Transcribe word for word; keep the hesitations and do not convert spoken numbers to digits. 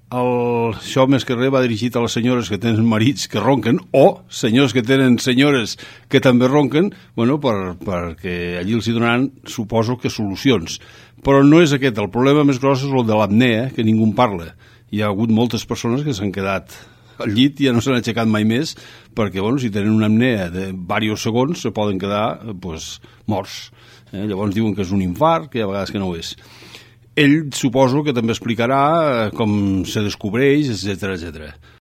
el, això més que res va dirigit a les senyores que tenen marits que ronquen o senyors que tenen senyores que també ronquen, bueno, per, perquè allí els hi donaran, suposo que solucions. Però no és aquest, el problema més gros és el de l'apnea, que ningú en parla. Hi ha hagut moltes persones que s'han quedat al llit i ja no s'han aixecat mai més perquè, bueno, si tenen una apnea de diversos segons se poden quedar, pues, morts. Eh? Llavors diuen que és un infart, que hi ha vegades que no ho és. Ell suposo que també explicarà com se descobreix, etcètera, etcètera.